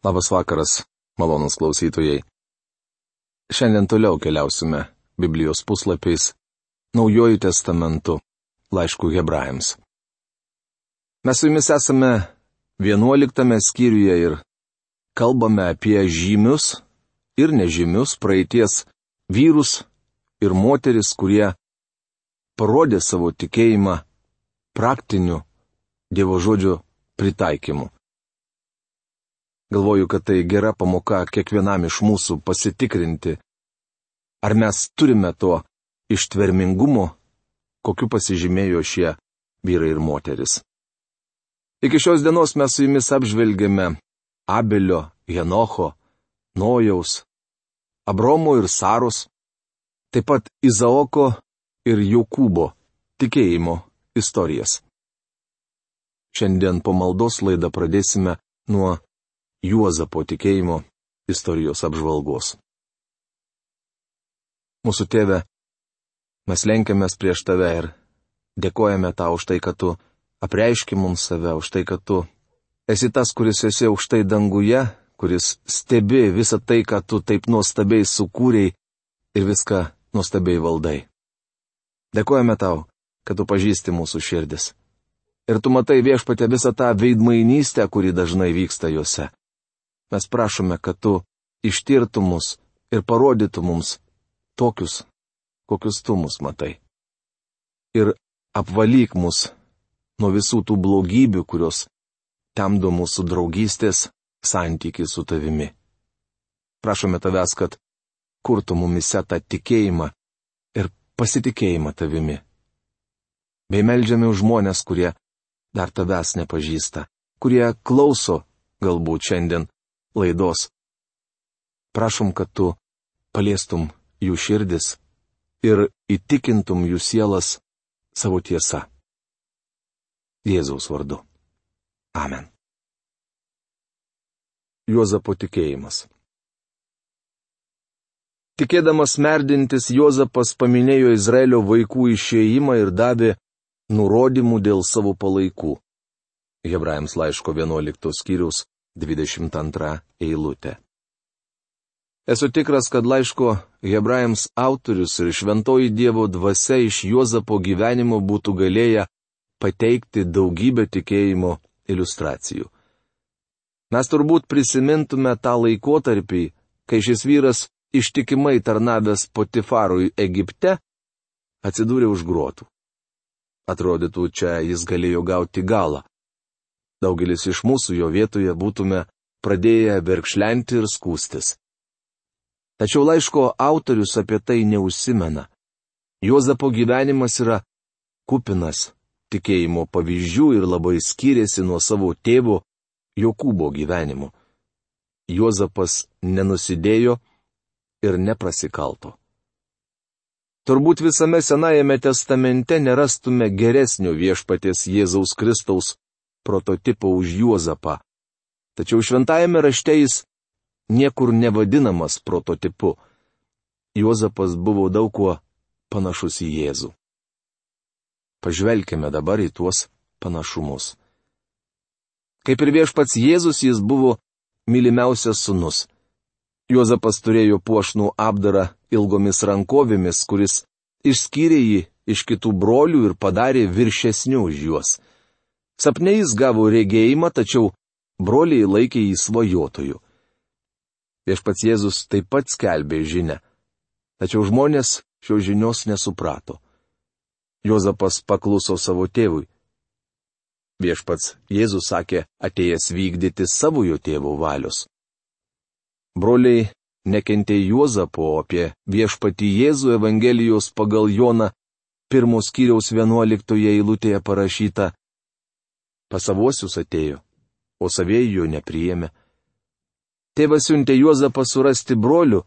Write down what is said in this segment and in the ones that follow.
Labas vakaras, malonūs klausytojai. Šiandien toliau keliausime Biblijos puslapiais Naujuoju testamentu laiškų Hebrajams. Mes su jumis esame 11 skyriuje ir kalbame apie žymius ir nežymius praeities vyrus ir moteris, kurie parodė savo tikėjimą praktiniu Dievo žodžio pritaikymu. Galvoju, kad tai gera pamoka kiekvienam iš mūsų pasitikrinti, ar mes turime to ištvermingumo, kokiu pasižymėjo šie vyrai ir moteris. Iki šios dienos mes su jumis apžvelgėme Abelio, Henocho, Nojaus, Abromo ir Saros, taip pat Izaoko ir Jokūbo tikėjimo istorijas. Šiandien po maldos laidą pradėsime nuo Juozapo tikėjimo istorijos apžvalgos. Mūsų Tėve, mes lenkiamės prieš Tave ir dėkojame Tau už tai, kad Tu apreiški mums save, už tai, kad Tu esi tas, kuris esi aukštai danguje, kuris stebi visą tai, ką Tu taip nuostabiai sukūrei ir viską nuostabiai valdai. Dėkojame Tau, kad Tu pažįsti mūsų širdis. Ir Tu matai, Viešpatie, visą tą veidmainystę, kuri dažnai vyksta juose. Mes prašome, kad Tu ištirtų mus ir parodytų mums tokius, kokius Tu mus matai. Ir apvalyk mus nuo visų tų blogybių, kurios temdo mūsų draugystės santykį su Tavimi. Prašome Tavęs, kad kurtų mumise tą tikėjimą ir pasitikėjimą Tavimi. Bei meldžiame už žmonės, kurie dar Tavęs nepažįsta, kurie klauso galbūt šiandien laidos. Prašom, kad Tu paliestum jų širdis ir įtikintum jų sielas savo tiesa. Jėzaus vardu. Amen. Juozapo tikėjimas. Tikėdamas merdintis, Juozapas paminėjo Izraelio vaikų išėjimą ir davė nurodymų dėl savo palaikų. Hebrajams laiško 11 skyriaus 22 eilutė. Esu tikras, kad laiško Hebrajams autorius ir šventoji Dievo dvasia iš Juozapo gyvenimo būtų galėję pateikti daugybę tikėjimo iliustracijų. Mes turbūt prisimintume tą laikotarpį, kai šis vyras ištikimai tarnavęs Potifarui Egipte atsidūrė už grotų. Atrodytų, čia jis galėjo gauti galą. Daugelis iš mūsų jo vietoje būtume pradėję verkšlenti ir skųstis. Tačiau laiško autorius apie tai neužsimena. Juozapo gyvenimas yra kupinas tikėjimo pavyzdžių ir labai skiriasi nuo savo tėvo Jokūbo gyvenimo. Juozapas nenusidėjo ir neprasikalto. Turbūt visame Senajame testamente nerastume geresnio Viešpaties Jėzaus Kristaus prototipo už Juozapą. Tačiau šventajame rašte jis niekur nevadinamas prototipu. Juozapas buvo daug kuo panašus į Jėzų. Pažvelkime dabar į tuos panašumus. Kaip ir Viešpats Jėzus, jis buvo mylimiausias sūnus. Juozapas turėjo puošnų apdarą ilgomis rankovėmis, kuris išskyrė jį iš kitų brolių ir padarė viršesniu už juos. Sapne jis gavo regėjimą, tačiau broliai laikė jį svajotoju. Viešpats Jėzus taip pat skelbė žinią, tačiau žmonės šios žinios nesuprato. Juozapas pakluso savo tėvui. Viešpats Jėzus sakė, atėjęs vykdyti savojo tėvo valios. Broliai nekentė Juozapo, apie Viešpatį Jėzų Evangelijos pagal Joną 1 skyriaus 11 eilutėje parašyta: Pas savuosius atėjo, o savieji jo nepriėmė. Tėvas siuntė Juozapą surasti brolių,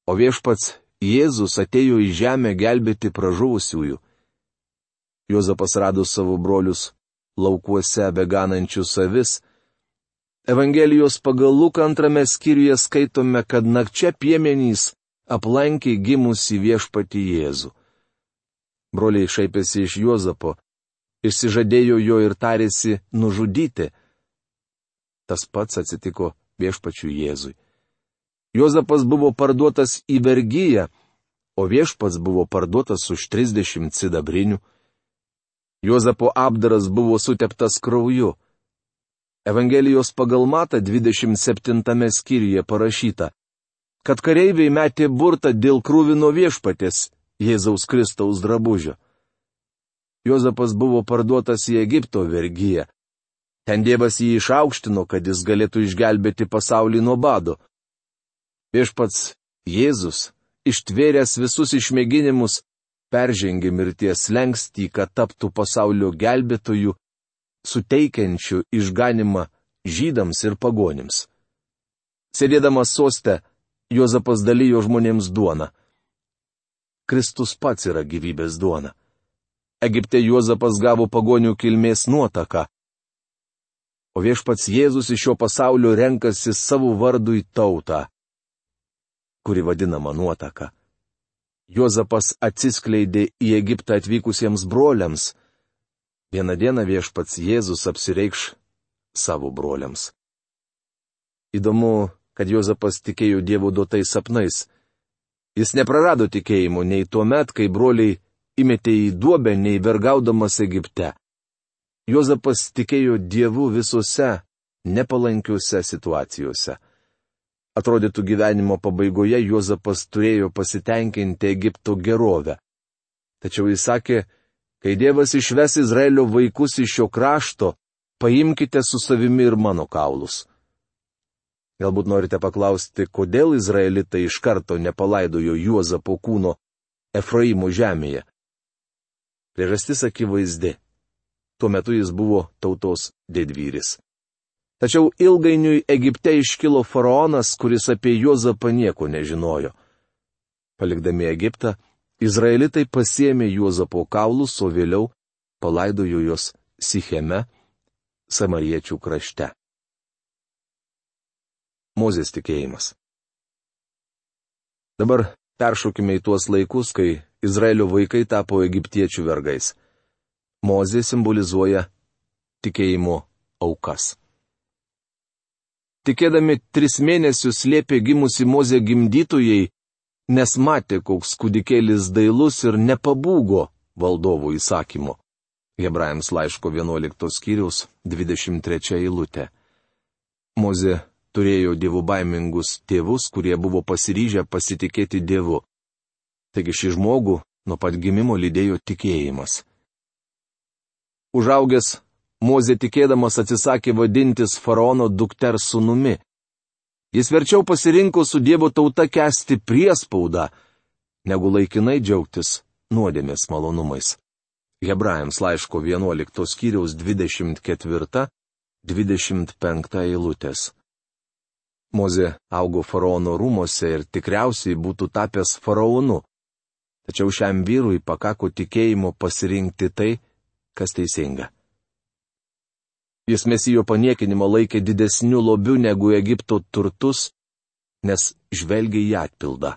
o Viešpats Jėzus atėjo į žemę gelbėti pražuvusiųjų. Juozapas rado savo brolius laukuose beganančius avis. Evangelijos pagal Luką 2 skyriuje skaitome, kad nakčia piemenys aplankė gimusį Viešpatį Jėzų. Broliai šaipėsi iš Juozapo, išsižadėjo jo ir tarėsi nužudyti. Tas pats atsitiko viešpačiui Jėzui. Juozapas buvo parduotas į vergyją, o viešpats buvo parduotas už 30 sidabrinių. Juozapo apdaras buvo suteptas krauju. Evangelijos pagal Matą 27 skyriuje parašyta, kad kareiviai metė burtą dėl kruvino viešpatės Jėzaus Kristaus drabužio. Juozapas buvo parduotas į Egipto vergyją. Ten Dievas jį išaukštino, kad jis galėtų išgelbėti pasaulį nuo bado. Viešpats Jėzus, ištvėręs visus išmėginimus, peržengė mirties slenkstį, kad taptų pasaulio gelbėtojų, suteikiančių išganimą žydams ir pagonims. Sėdėdamas soste, Juozapas dalijo žmonėms duoną. Kristus pats yra gyvybės duona. Egipte Juozapas gavo pagonių kilmės nuotaką, o viešpats Jėzus iš šio pasaulio renkasi savo vardui tautą, kuri vadinama nuotaka. Juozapas atsiskleidė į Egiptą atvykusiems broliams. Vieną dieną viešpats Jėzus apsireikš savo broliams. Įdomu, kad Juozapas tikėjo Dievo duotais sapnais. Jis neprarado tikėjimo nei tuo met, kai broliai įmetė į duobę, nei vergaudamas Egipte. Juozapas tikėjo Dievu visose nepalankiuose situacijose. Atrodytų gyvenimo pabaigoje Juozapas turėjo pasitenkinti Egipto gerovę. Tačiau jis sakė, kai Dievas išves Izraelio vaikus iš šio krašto, paimkite su savimi ir mano kaulus. Galbūt norite paklausti, kodėl izraelitai iš karto nepalaidojo Juozapo kūno Efraimo žemėje. Priežastis akivaizdi. Tuo metu jis buvo tautos didvyris. Tačiau ilgainiui Egipte iškilo faraonas, kuris apie Juozapą nieko nežinojo. Palikdami Egiptą, izraelitai pasiėmė Juozapo kaulus, o vėliau palaidojo juos Sicheme, Samariečių krašte. Mozės tikėjimas. Dabar peršokime į tuos laikus, kai Izraelio vaikai tapo egiptiečių vergais. Mozė simbolizuoja tikėjimo aukas. Tikėdami 3 mėnesius slėpė gimusi Mozė gimdytojai, nes matė, koks kūdikėlis dailus ir nepabūgo valdovo įsakymu. Hebrajams laiško 11 skyriaus 23 eilutė. Mozė turėjo dievobaimingus tėvus, kurie buvo pasiryžę pasitikėti Dievu. Taigi šį žmogų nuo pat gimimo lydėjo tikėjimas. Užaugęs, Mozė tikėdamas atsisakė vadintis faraono dukters sūnumi. Jis verčiau pasirinko su Dievo tauta kęsti priespaudą, negu laikinai džiaugtis nuodėmės malonumais. Hebrajams laiško 11 skyriaus 24-25 eilutės. Mozė augo faraono rūmose ir tikriausiai būtų tapęs faraonu. Tačiau šiam vyrui pakako tikėjimo pasirinkti tai, kas teisinga. Jis Mesijo paniekinimą laikė didesniu lobiu negu Egipto turtus, nes žvelgė į atpildą.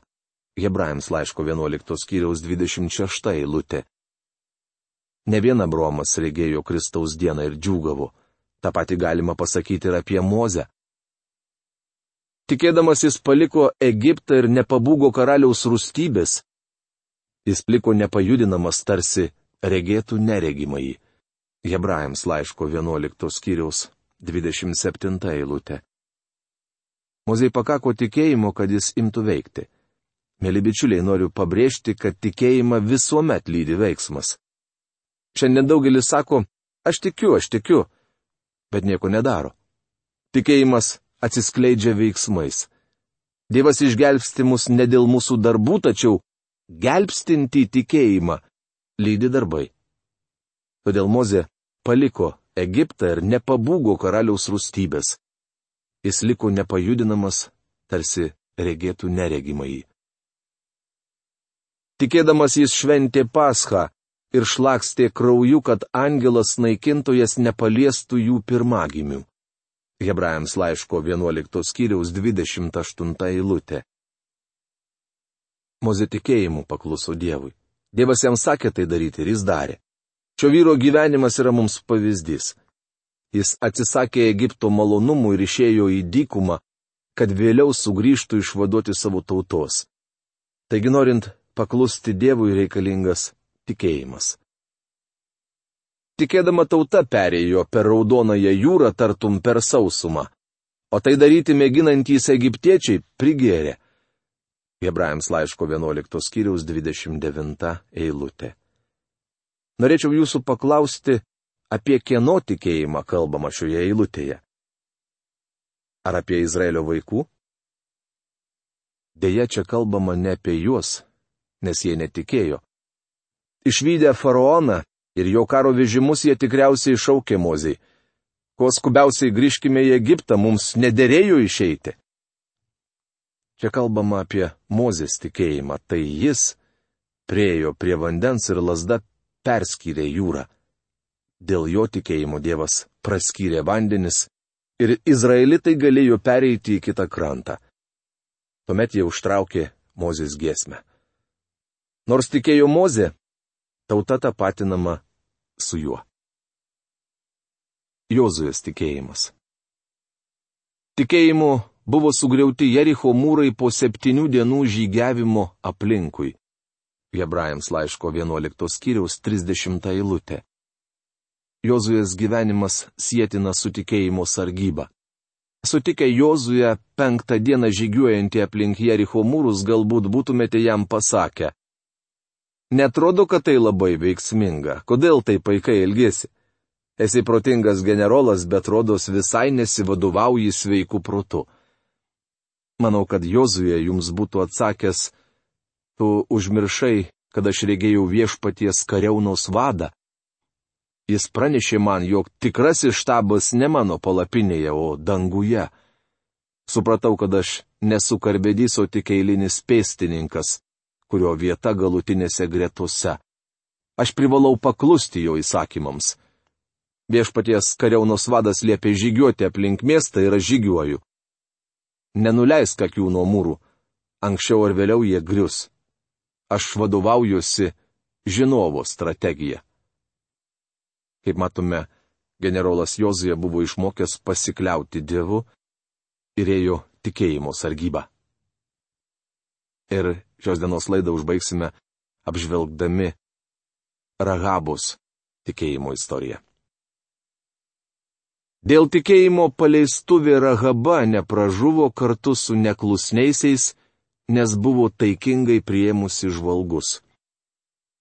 Hebrajams laiško 11 skyriaus 26 eilutė. Ne vien Abraomas regėjo Kristaus dieną ir džiūgavo. Ta pati galima pasakyti ir apie Mozę. Tikėdamas jis paliko Egiptą ir nepabūgo karaliaus rūstybės. Jis liko nepajudinamas, tarsi regėtų neregimąjį. Hebrajams laiško 11 skyriaus 27 eilutė. Mozei pakako tikėjimo, kad jis imtų veikti. Mėly bičiuliai, noriu pabrėžti, kad tikėjimą visuomet lydi veiksmas. Šiandien daugelis sako, aš tikiu, bet nieko nedaro. Tikėjimas atsiskleidžia veiksmais. Dievas išgelbsti mus ne dėl mūsų darbų, tačiau gelbstinti tikėjimą lydi darbai. Todėl Mozė paliko Egiptą ir nepabūgo karaliaus rūstybės. Jis liko nepajudinamas, tarsi regėtų neregimąjį. Tikėdamas jis šventė Paschą ir šlakstė krauju, kad angelas naikintojas nepaliestų jų pirmagimių. Hebrajams laiško 11 skyriaus 28 eilutė. Mozė tikėjimu pakluso Dievui. Dievas jam sakė tai daryti ir jis darė. Šio vyro gyvenimas yra mums pavyzdys. Jis atsisakė Egipto malonumų ir išėjo į dykumą, kad vėliau sugrįžtų išvaduoti savo tautos. Taigi norint paklusti Dievui reikalingas tikėjimas. Tikėdama tauta perėjo per Raudonąją jūrą tartum per sausumą, o tai daryti mėginantys egiptiečiai prigėrė. Hebrajams laiško 11 skyriaus 29 eilutė. Norėčiau jūsų paklausti, apie kieno tikėjimą kalbama šioje eilutėje. Ar apie Izraelio vaikų? Deja, čia kalbama ne apie juos, nes jie netikėjo. Išvydę faraoną ir jo karo vežimus jie tikriausiai šaukė Mozei: kuo skubiausiai grįžkime į Egiptą, mums nederėjo išeiti. Čia kalbama apie Mozės tikėjimą, tai jis priėjo prie vandens ir lazda perskyrė jūrą. Dėl jo tikėjimo Dievas praskyrė vandenis ir izraelitai galėjo pereiti į kitą krantą. Tuomet jie užtraukė Mozės giesmę. Nors tikėjo Mozė, tauta tapatinama su juo. Jozuės tikėjimas. Tikėjimu buvo sugriauti Jericho mūrai po 7 dienų žygiavimo aplinkui. Hebrajams laiško 11 skyriaus 30 eilutė. Jozuės gyvenimas sietinas su tikėjimo sargyba. Sutikę Jozuę 5 dieną žygiuojantį aplink Jericho mūrus, galbūt būtumėte jam pasakę: netrodo, kad tai labai veiksminga, kodėl tai paikai elgiesi? Esi protingas generolas, bet rodos visai nesivadovauji sveiku protu. Manau, kad Jozuė jums būtų atsakęs: tu užmiršai, kad aš regėjau viešpaties kariaunos vadą. Jis pranešė man, jog tikrasis štabas ne mano palapinėje, o danguje. Supratau, kad aš nesu karvedys, o tik eilinis pėstininkas, kurio vieta galutinėse gretose. Aš privalau paklusti jo įsakymams. Viešpaties kariaunos vadas liepė žygiuoti aplink miestą ir aš žygiuoju. Nenuleisk akių nuo mūrų, anksčiau ar vėliau jie grius. Aš vadovaujuosi žinovo strategija. Kaip matome, generolas Jozuė buvo išmokęs pasikliauti Dievu ir ėjo tikėjimo sargybą. Ir šios dienos laidą užbaigsime apžvelgdami Rahabos tikėjimo istoriją. Dėl tikėjimo paleistuvė Rahaba nepražuvo kartu su neklusniaisiais, nes buvo taikingai priėmusi žvalgus.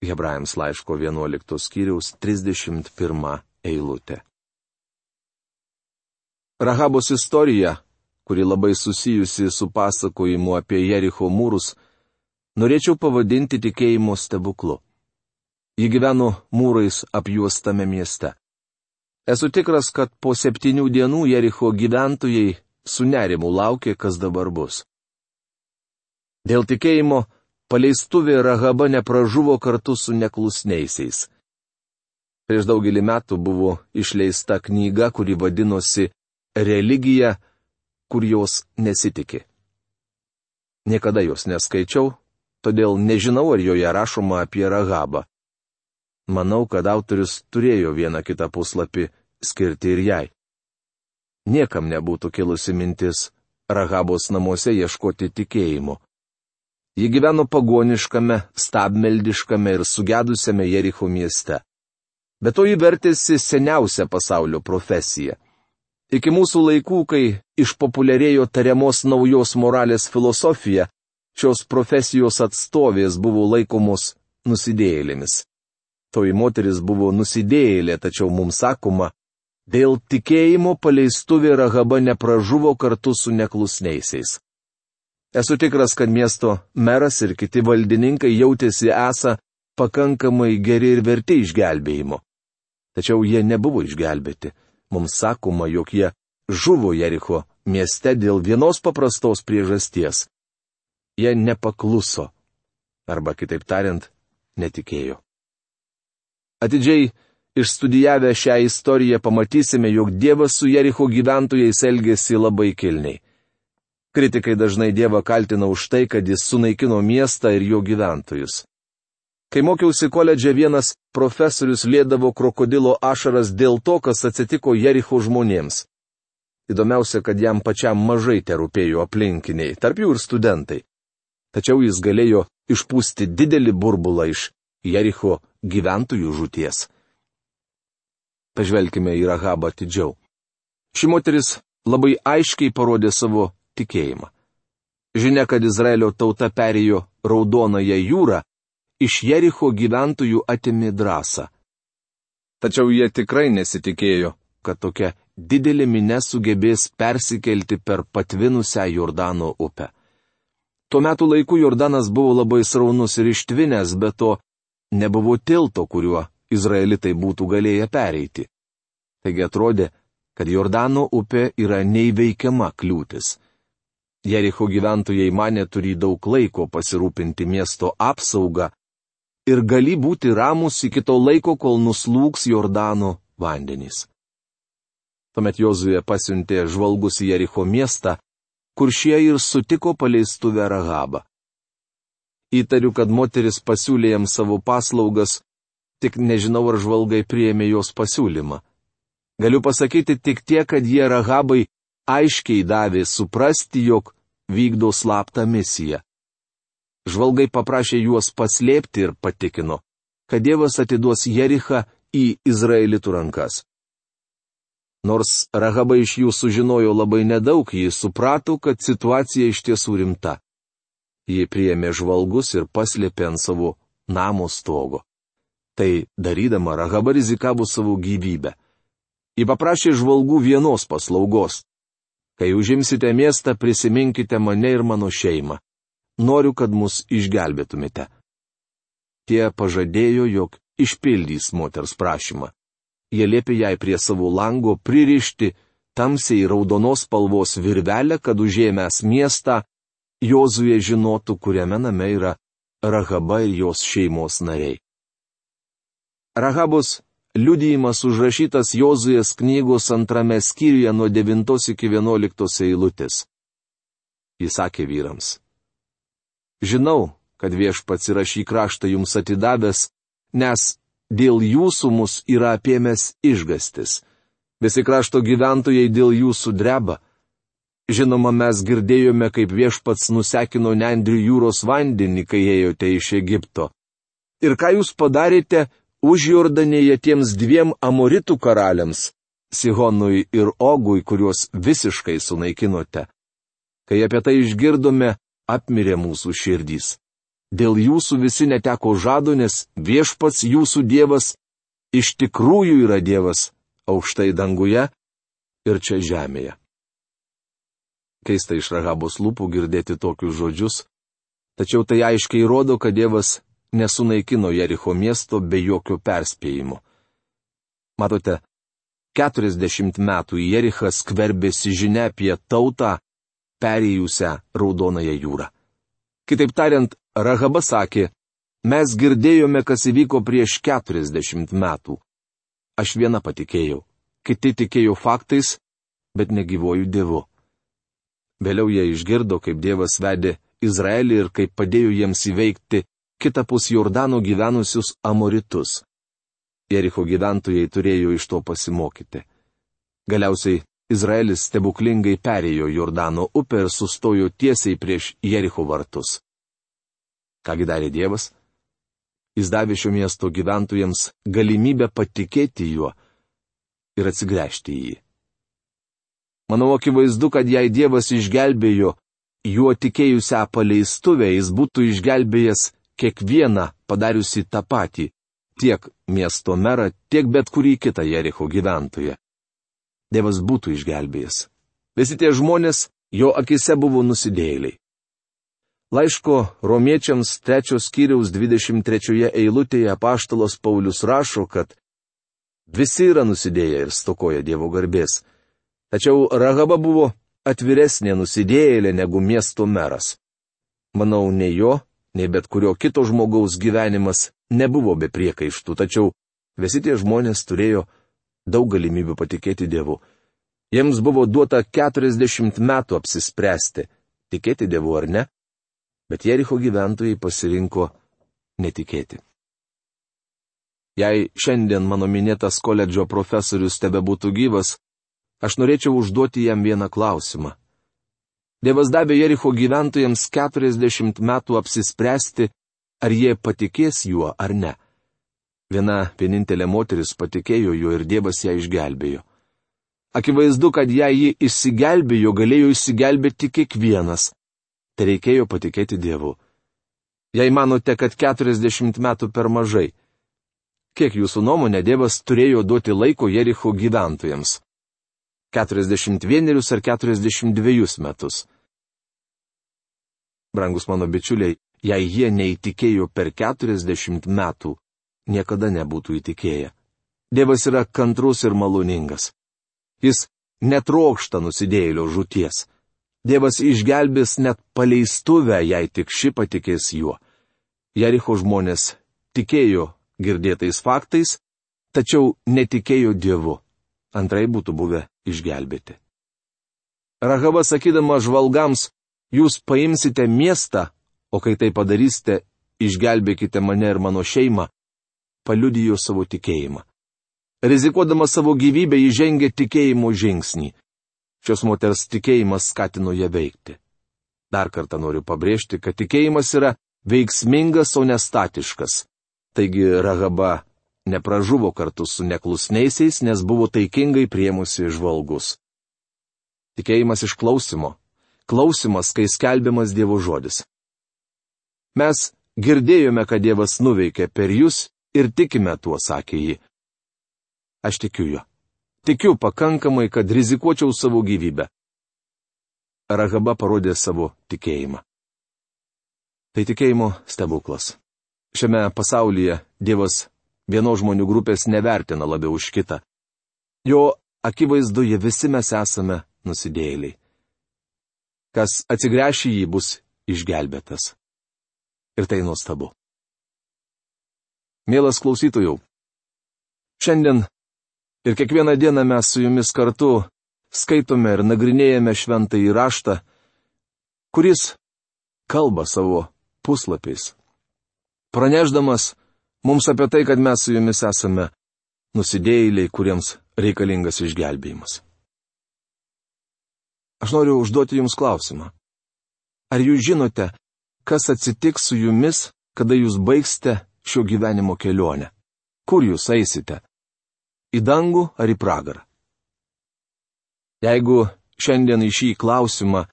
Hebrajams laiško 11 skyriaus 31 eilutė. Rahabos istorija, kuri labai susijusi su pasakojimu apie Jericho mūrus, norėčiau pavadinti tikėjimo stebuklu. Ji gyveno mūrais apjuostame mieste. Esu tikras, kad po 7 dienų Jericho gyventojai su nerimu laukė, kas dabar bus. Dėl tikėjimo paleistuvė Rahaba nepražuvo kartu su neklusniaisiais. Prieš daugelį metų buvo išleista knyga, kuri vadinosi Religija, kur jos nesitiki. Niekada jos neskaičiau, todėl nežinau, ar joje rašoma apie Rahabą. Manau, kad autorius turėjo vieną kitą puslapį skirti ir jai. Niekam nebūtų kilusi mintis Rahabos namuose ieškoti tikėjimo. Ji gyveno pagoniškame, stabmeldiškame ir sugedusiame Jericho mieste. Bet to ji vertėsi seniausią pasaulio profesiją. Iki mūsų laikų, kai išpopuliarėjo tariamos naujos moralės filosofija, šios profesijos atstovės buvo laikomos nusidėjėlėmis. Toji moteris buvo nusidėjėlė, tačiau mums sakoma, dėl tikėjimo paleistuvė Rahaba nepražuvo kartu su neklusniaisiais. Esu tikras, kad miesto meras ir kiti valdininkai jautėsi esą pakankamai geri ir verti išgelbėjimo. Tačiau jie nebuvo išgelbėti. Mums sakoma, jog jie žuvo Jericho mieste dėl vienos paprastos priežasties. Jie nepakluso. Arba kitaip tariant, netikėjo. Atidžiai išstudijavę šią istoriją pamatysime, jog Dievas su Jericho gyventojais elgėsi labai kilniai. Kritikai dažnai Dievą kaltina už tai, kad jis sunaikino miestą ir jo gyventojus. Kai mokiausi koledže, vienas profesorius liedavo krokodilo ašaras dėl to, kas atsitiko Jericho žmonėms. Įdomiausia, kad jam pačiam mažai terūpėjo aplinkiniai, tarp jų ir studentai. Tačiau jis galėjo išpūsti didelį burbulą iš Jericho gyventojų žūties. Pažvelkime į Rahabą atidžiau. Ši moteris labai aiškiai parodė savo tikėjimą. Žinia, kad Izraelio tauta perėjo Raudonąją jūrą, iš Jericho gyventojų atėmė drąsą. Tačiau jie tikrai nesitikėjo, kad tokia didelė minia sugebės persikelti per patvinusią Jordano upę. Tuo metu laiku Jordanas buvo labai sraunus ir ištvinęs, bet to nebuvo tilto, kuriuo izraelitai būtų galėję pereiti. Taigi atrodė, kad Jordano upė yra neįveikiama kliūtis. Jericho gyventojai manė turį daug laiko pasirūpinti miesto apsaugą ir gali būti ramus iki to laiko, kol nuslūgs Jordano vandenys. Tuomet Jozuė pasiuntė žvalgus į Jericho miestą, kur šie ir sutiko paleistuvę Rahabą. Įtariu, kad moteris pasiūlė jam savo paslaugas, tik nežinau, ar žvalgai priėmė jos pasiūlymą. Galiu pasakyti tik tiek, kad jie Rahabai aiškiai davė suprasti, jog vykdo slaptą misiją. Žvalgai paprašė juos paslėpti ir patikino, kad Dievas atiduos Jerichą į izraelitų rankas. Nors Rahaba iš jų sužinojo labai nedaug, ji suprato, kad situacija iš tiesų rimta. Ji priėmė žvalgus ir paslėpė ant savo namo stogo. Tai darydama Rahaba rizikavo savo gyvybę. Ji paprašė žvalgų vienos paslaugos. Kai užimsite miestą, prisiminkite mane ir mano šeimą. Noriu, kad mus išgelbėtumėte. Tie pažadėjo, jog išpildys moters prašymą. Jie liepė jai prie savo lango pririšti tamsiai raudonos spalvos virvelę, kad užėmęs miestą, Jozuė žinotų, kuriame name yra Rahaba ir jos šeimos nariai. Rahabos liudijimas užrašytas Jozuės knygos 2 skyriuje nuo 9 iki 11 eilutės. Jis sakė vyrams: Žinau, kad Viešpats yra šį kraštą jums atidavęs, nes dėl jūsų mus yra apėmęs išgastis. Visi krašto gyventojai dėl jūsų dreba. Žinoma, mes girdėjome, kaip Viešpats nusekino Nendrių jūros vandenį, kai ėjote iš Egipto. Ir ką jūs padarėte Užjordanėje tiems 2 Amoritų karaliams, Sihonui ir Ogui, kuriuos visiškai sunaikinote. Kai apie tai išgirdome, apmirė mūsų širdys. Dėl jūsų visi neteko žado, nes Viešpats jūsų Dievas iš tikrųjų yra Dievas aukštai danguje ir čia žemėje. Keista iš Rahabos lūpų girdėti tokius žodžius, tačiau tai aiškiai rodo, kad Dievas nesunaikino Jericho miesto be jokio perspėjimo. Matote, 40 metų į Jerichą skverbėsi žinia apie tautą, perėjusią Raudonąją jūrą. Kitaip tariant, Rahaba sakė: mes girdėjome, kas įvyko prieš 40 metų. Aš viena patikėjau, kiti tikėjo faktais, bet negyvuoju Dievu. Vėliau jie išgirdo, kaip Dievas vedė Izraelį ir kaip padėjo jiems įveikti kitapus Jordano gyvenusius Amoritus. Jericho gyventojai turėjo iš to pasimokyti. Galiausiai Izraelis stebuklingai perėjo Jordano upę ir sustojo tiesiai prieš Jericho vartus. Kągi darė Dievas? Jis davė šio miesto gyventojams galimybę patikėti juo ir atsigręžti į jį. Manau, akivaizdu, kad jei Dievas išgelbėjo juo tikėjusią paleistuvę, jis būtų išgelbėjęs kiekvieną padariusi tą patį, tiek miesto merą, tiek bet kurį kitą Jericho gyventoją. Dievas būtų išgelbėjęs. Visi tie žmonės jo akise buvo nusidėjėliai. Laiško Romiečiams 3 skyriaus 23 eilutėje apaštalas Paulius rašo, kad visi yra nusidėję ir stokoja Dievo garbės. Tačiau Rahaba buvo atviresnė nusidėjėlė negu miesto meras. Manau, nei jo, nei bet kurio kito žmogaus gyvenimas nebuvo be priekaištų, tačiau visi tie žmonės turėjo daug galimybių patikėti Dievu. Jiems buvo duota 40 metų apsispręsti, tikėti Dievu ar ne, bet Jericho gyventojai pasirinko netikėti. Jei šiandien mano minėtas koledžo profesorius tebebūtų gyvas, aš norėčiau užduoti jam vieną klausimą. Dievas davė Jericho gyventojams 40 metų apsispręsti, ar jie patikės juo ar ne. Vienintelė moteris patikėjo juo ir Dievas ją išgelbėjo. Akivaizdu, kad jei ji išsigelbėjo, galėjo išsigelbėti kiekvienas. Tai reikėjo patikėti Dievu. Jei manote, kad 40 metų per mažai, kiek jūsų nuomonė Dievas turėjo duoti laiko Jericho gyventojams? 41 ar 42 metus? Brangus mano bičiuliai, jei jie neįtikėjo per 40 metų, niekada nebūtų įtikėję. Dievas yra kantrus ir maloningas. Jis netrokšta nusidėjėlio žūties. Dievas išgelbės net paleistuvę, jei tik ši patikės juo. Jericho žmonės tikėjo girdėtais faktais, tačiau netikėjo Dievu. Antrai būtų buvę išgelbėti. Rahaba sakydama žvalgams, jūs paimsite miestą, o kai tai padarysite, išgelbėkite mane ir mano šeimą, paliudijo savo tikėjimą. Rizikuodama savo gyvybę, ji žengė tikėjimo žingsnį. Šios moters tikėjimas skatino ją veikti. Dar kartą noriu pabrėžti, kad tikėjimas yra veiksmingas, o ne statiškas. Taigi Rahaba nepražuvo kartu su neklusniaisiais, nes buvo taikingai priėmusi žvalgus. Tikėjimas iš klausimo. Klausimas, kai skelbiamas Dievo žodis. Mes girdėjome, kad Dievas nuveikė per jūs ir tikime tuo, sakė ji. Aš tikiu juo. Tikiu pakankamai, kad rizikuočiau savo gyvybę. Rahaba parodė savo tikėjimą. Tai tikėjimo stebuklas. Šiame pasaulyje Dievas vienos žmonių grupės nevertina labiau už kitą. Jo akivaizdoje visi mes esame nusidėjėliai. Kas atsigręš į jį, bus išgelbėtas. Ir tai nuostabu. Mielas klausytojau, šiandien ir kiekvieną dieną mes su jumis kartu skaitome ir nagrinėjame šventąjį raštą, kuris kalba savo puslapiais, pranešdamas mums apie tai, kad mes su jumis esame nusidėjėliai, kuriems reikalingas išgelbėjimas. Aš noriu užduoti jums klausimą. Ar jūs žinote, kas atsitiks su jumis, kada jūs baigsite šio gyvenimo kelionę? Kur jūs eisite? Į dangų ar į pragarą? Jeigu šiandien į šį klausimą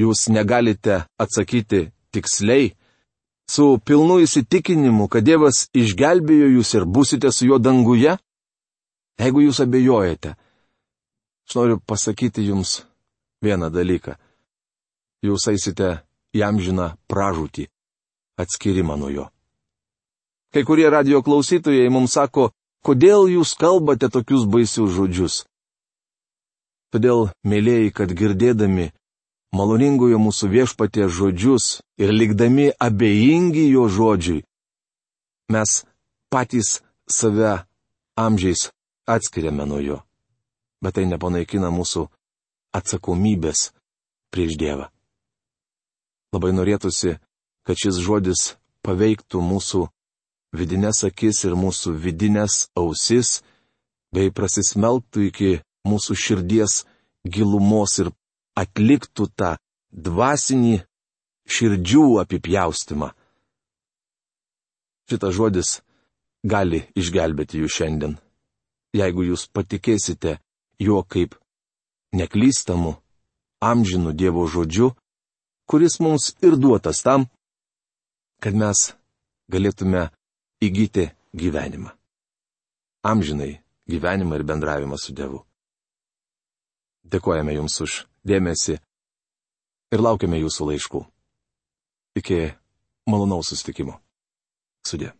jūs negalite atsakyti tiksliai, su pilnu įsitikinimu, kad Dievas išgelbėjo jūs ir būsite su juo danguje, jeigu jūs abejojate, aš noriu pasakyti jums vieną dalyką. Jūs eisite į amžiną pražūtį, atskirimą nuo jo. Kai kurie radio klausytojai mums sako, kodėl jūs kalbate tokius baisius žodžius? Todėl, mėlėjai, kad girdėdami maloningojo mūsų viešpaties žodžius ir likdami abejingi jo žodžiui, mes patys save amžiais atskiriame nuo jo. Bet tai nepanaikina mūsų atsakomybės prieš Dievą. Labai norėtųsi, kad šis žodis paveiktų mūsų vidinės akis ir mūsų vidinės ausis, bei prasismelktų iki mūsų širdies gilumos ir atliktų tą dvasinį širdžių apipjaustymą. Šitas žodis gali išgelbėti jūs šiandien, jeigu jūs patikėsite juo kaip neklystamu, amžinu Dievo žodžiu, kuris mums ir duotas tam, kad mes galėtume įgyti gyvenimą. Amžinai gyvenimą ir bendravimą su Dievu. Dėkojame Jums už dėmesį ir laukiame Jūsų laiškų. Iki malonaus susitikimo. Sudie.